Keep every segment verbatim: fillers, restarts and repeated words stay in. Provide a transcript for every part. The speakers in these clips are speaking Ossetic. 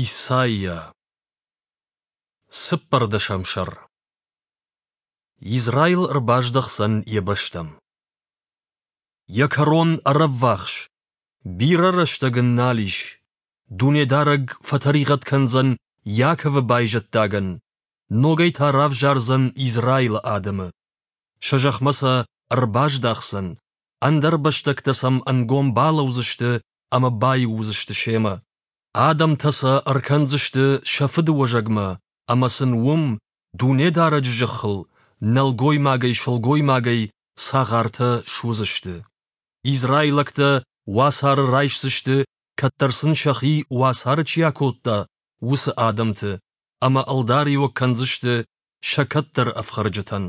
Исайя. Цыппӕрдӕсӕм сӕр. Израил ӕрбаздӕхдзӕн йӕ бӕстӕм. Йӕ кӕрон ӕрӕввахс, бирӕ рӕстӕг ын нал ис. Дунедарӕг фӕтӕригъӕд кӕндзӕн Иаковы байзӕддагӕн, ногӕй та равзардзӕн Израилы адӕмы. Сӕ зӕхмӕ сӕ ӕрбаздахдзӕн, ӕндӕрбӕстӕгтӕ сӕм ӕнгом балӕудзысты ӕмӕ баиу уыдзысты семӕ. Адӕмтӕ сӕ ӕркӕндзысты сӕ фыдыуӕзӕгмӕ, ӕмӕ сын уым, Дунедарӕджы зӕххыл, нӕлгоймагӕй-сылгоймагӕй цагъартӕ суыдзысты. Израилӕгтӕ уацары райсдзысты, кӕддӕр сын сӕхи уацары чи акодта, уыцы адӕмты, ӕмӕ ӕлдариуӕг кӕндзысты сӕ кӕддӕры ӕфхӕрджытӕн.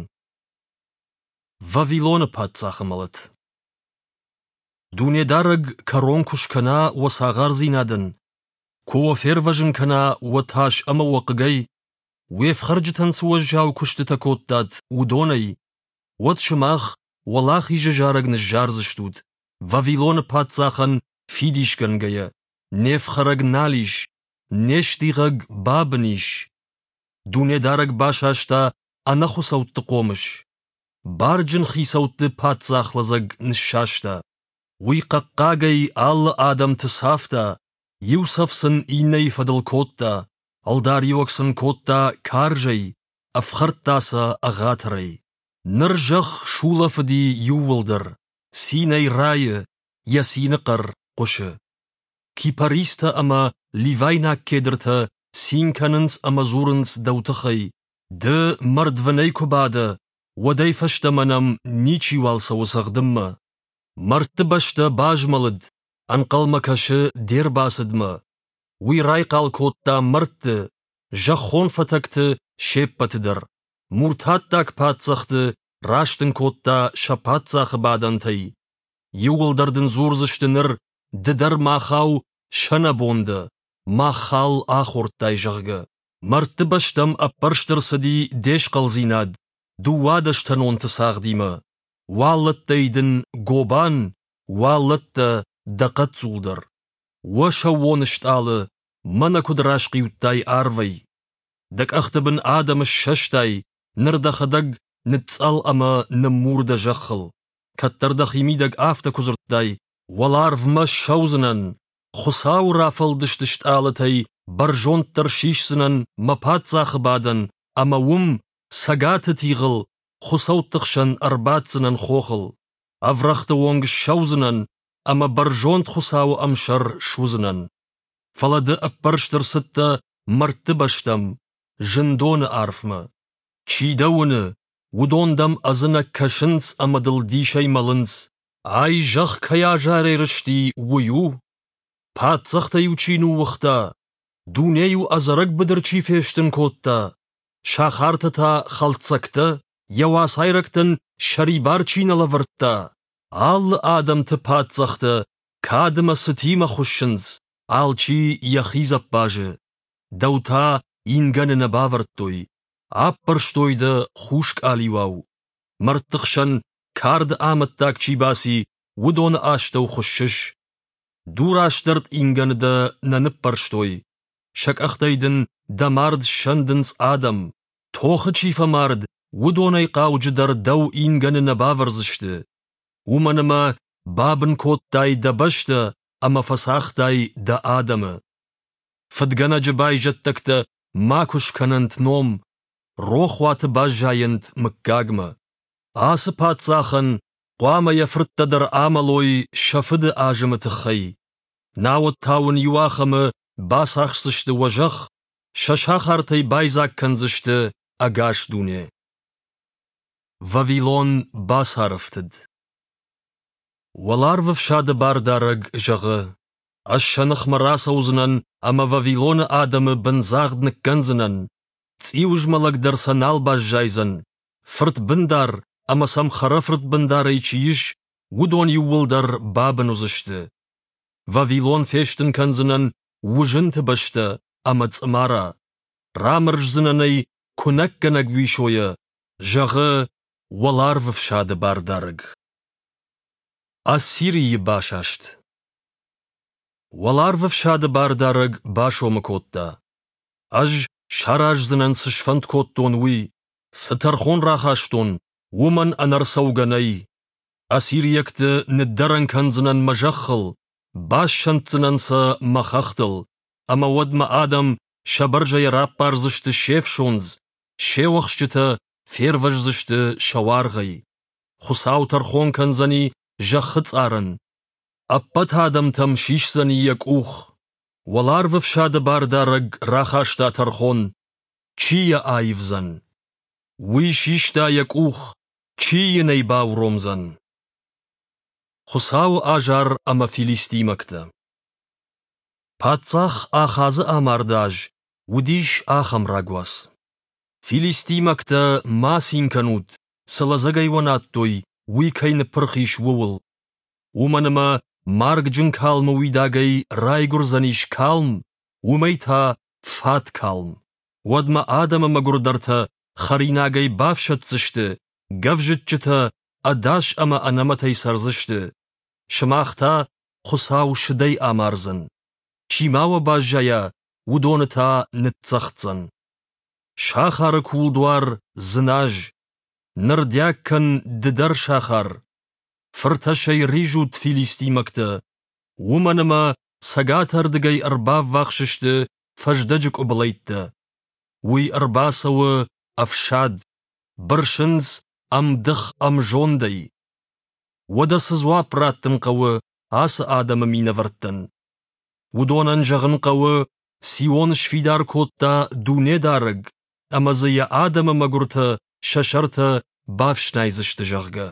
Вавилоны паддзахы мӕлӕт. Дунедарӕг кӕрон куы скӕна уӕ цагъардзинадӕн, куы уӕ фервӕзын кӕна уӕ тас ӕмӕ уӕ хъыгӕй, уе фхӕрджытӕн цы уӕззау куыстытӕ кодтат, уыдонӕй, уӕд сымах уӕлахизы зарӕг ныззардзыстут, Вавилоны паддзахӕн фидисгӕнгӕйӕ, не фхӕрӕг нал ис, не стигъӕг бабын ис. Дунедарӕг басаста ӕнӕхуыцӕутты хъомыс, барджын хицӕутты паддзахлӕдзӕг ныссаста. Уый хъӕхъхъагӕй алы адӕмты цавта, иу цӕф сын иннӕйы фӕдыл кодта, ӕлдариуӕг сын кодта карзӕй, ӕфхӕрдта сӕ ӕгъатырӕй. Ныр зӕхх сулӕфыди иууылдӕр, цинӕй райы, йӕ цины хъӕр хъуысы. Кипаристӕ ӕмӕ ливайнаг кедртӕ цин кӕнынц ӕмӕ дзурынц дӕу тыххӕй: ды мӕрдвынӕй куы бадӕ, уӕдӕй фӕстӕмӕ нӕм ничиуал цӕуы цӕгъдынмӕ. Мӕрдты бӕстӕ базмӕлыд, ӕнхъӕлмӕ кӕсы де рбацыдмӕ. Уый райхъал кодта мӕрдты, зӕххон фӕтӕгты се ппӕты дӕр. Муртаттаг паддзӕхты растын кодта сӕ паддзахы бадӕнтӕй. Иууылдӕр дын дзурдзысты ныр, ды дӕр махау сӕнӕбон дӕ, мах хал ахордтай, зӕгъгӕ. Мӕрдты бӕстӕм ӕппӕрст ӕрцыди де схъӕлдзинад дыууадӕстӕнонты цагъдимӕ. Уаллӕттӕй дын гобан, уаллӕттӕ дӕ хъӕццул дӕр. Уӕ сӕууон стъалы, мӕнӕ куыд расхъиудтай арвӕй! Дӕ къӕхты бын адӕмы ссӕстай, ныр дӕхӕдӕг ныцъцъӕл ӕмӕ ныммур дӕ зӕххыл. Кӕддӕр дӕхимидӕг афтӕ куы дзырдтай: уӕларвмӕ ссӕудзынӕн, Хуыцауы рафӕлдыст стъалытӕй бӕрзонддӕр сисдзынӕн мӕ паддзахы бадӕн ӕмӕ уым, цӕгаты тигъыл, хуыцӕутты хсӕн ӕрбаддзынӕн хохыл. Ӕврӕгъты онг ссӕудзынӕн ӕмӕ бӕрзонд Хуыцауы ӕмсӕр суыдзынӕн. Фӕлӕ ды ӕппӕрст ӕрцыдтӕ мӕрдты бӕстӕм, зындоны арфмӕ. Чи дӕ уыны, уыдон дӕм ӕдзынӕг кӕсынц ӕмӕ дыл дисӕй мӕлынц. Ай зӕхх кӕй азарӕй рызти, уый у? Паддзӕхтӕ-иу чи ныууыгъта, дуне-иу ӕдзӕрӕг быдыр чи фестын кодта, сахартӕ та хӕлддзӕгтӕ, йӕ уацайрӕгтӕн сӕрибар чи нӕ лӕвӕрдта, алы адӕмты паддзӕхтӕ кад ӕмӕ цытимӕ хуыссынц, алчи йӕхи дзӕппазы. Дӕу та ингӕны нӕ бавӕрдтой, аппӕрстой дӕ хус къалиуау. Мӕрдты хсӕн карды амӕттаг чи баци, уыдоны астӕу хуыссыс. Дурастӕрд ингӕны дӕ нӕ ныппӕрстой, сӕ къӕхтӕй дын дӕ мард ссӕндынц адӕм. Тохы чи фӕмард, уыдонӕй хъауджыдӕр дӕу ингӕны нӕ бавӕрдзысты. Уымӕн ӕмӕ бабын кодтай дӕ бӕстӕ ӕмӕ фӕцагътай дӕ адӕмы. Фыдгӕнӕджы байзӕддӕгтӕ макуы скӕнӕнт ном, рохуаты баззайӕнт мыггагмӕ. Ацы паддзахӕн хъуамӕ йӕ фырттӕ дӕр амӕлой сӕ фыды азымы тыххӕй. Науӕд та уын иуахӕмы бацахсдзысты уӕ зӕхх, сӕ сахартӕй байдзаг кӕндзысты ӕгас дуне. Вавилон бацарӕфтыд. Уӕларвы фсады бардарӕг зӕгъы: Ӕз сӕ ныхмӕ рацӕудзынӕн ӕмӕ Вавилоны адӕмы бындзагъд ныккӕндзынӕн, цъиуызмӕлӕг дӕр сӕ нал баззайдзӕн, фырт бындар ӕмӕ сӕм хӕрӕфырт бындарӕй чи ис, уыдон иууылдӕр бабын уыдзысты. Вавилон фестын кӕндзынӕн уызынты бӕстӕ ӕмӕ цъымара. Рамӕрздзынӕн ӕй куынӕггӕнӕг уисойӕ, зӕгъы уӕларвы фсады бардарӕг. Ассирийы басаст. Уӕларвӕфсады Бардарӕг басомы кодта: Ӕз сараздзынӕн, цы сфӕнд кодтон, уый, цы тӕрхон рахастон, уымӕн ӕнӕрцӕугӕ нӕй. Ассириӕгты ныддӕрӕн кӕндзынӕн мӕ зӕххыл, бассӕнддзынӕн сӕ мӕ хӕхтыл, ӕмӕ уӕд мӕ адӕм сӕ бӕрзӕйӕ раппардзысты се фсондз, се уӕхсчытӕ фервӕздзысты сӕ уаргъӕй. Хуыцау тӕрхон кӕндзӕни зӕххы цъарӕн, ӕппӕт адӕмтӕм сисдзӕни йӕ къух. Уӕларвӕфсады Бардарӕг рахаста тӕрхон, чи йӕ аивдзӕн? Уый систа йӕ къух, чи йын ӕй бауромдзӕн? Хуыцауы азар ӕмӕ филистимӕгтӕ. Паддзах Ахазы амарды аз уыдис ахӕм рагуац. Филистимӕгтӕ, ма цин кӕнут, цы лӕдзӕгӕй уӕ надтой, уый кӕй ныппырх ис, ууыл. Уымӕн ӕмӕ маргджын калмы уидагӕй райгуырдзӕнис калм, уымӕй та фат калм. Уӕдмӕ адӕмы мӕгуырдӕртӕ хӕринагӕй бафсӕддзысты, гӕвзыччытӕ ӕдас ӕмӕ ӕнӕмӕтӕй цӕрдзысты. Сымах та Хуыцау сыдӕй амардзӕн. Чи ма уӕ баззайа, уыдоны та ныццӕгъддзӕн. Сахары кулдуар дзыназ, нырдиаг кӕн ды дӕр сахар. Фыртӕсӕй ризут, филистимӕгтӕ, уымӕн ӕмӕ цӕгатӕрдыгӕй ӕрбаввахс сты фӕздӕджы къуыбылӕйттӕ. Уый ӕрбацӕуы ӕфсад, бырсынц ӕмдых-ӕмзондӕй. Уӕдӕ цы дзуапп раттын хъӕуы ацы адӕмы минӕвӕрттӕн? Уыдонӕн зӕгъын хъӕуы, Сион сфидар кодта Дунедарӕг, ӕмӕ дзы йӕ адӕмы мӕгуыртӕ сӕ сӕртӕ бафснайдзысты, зӕгъгӕ.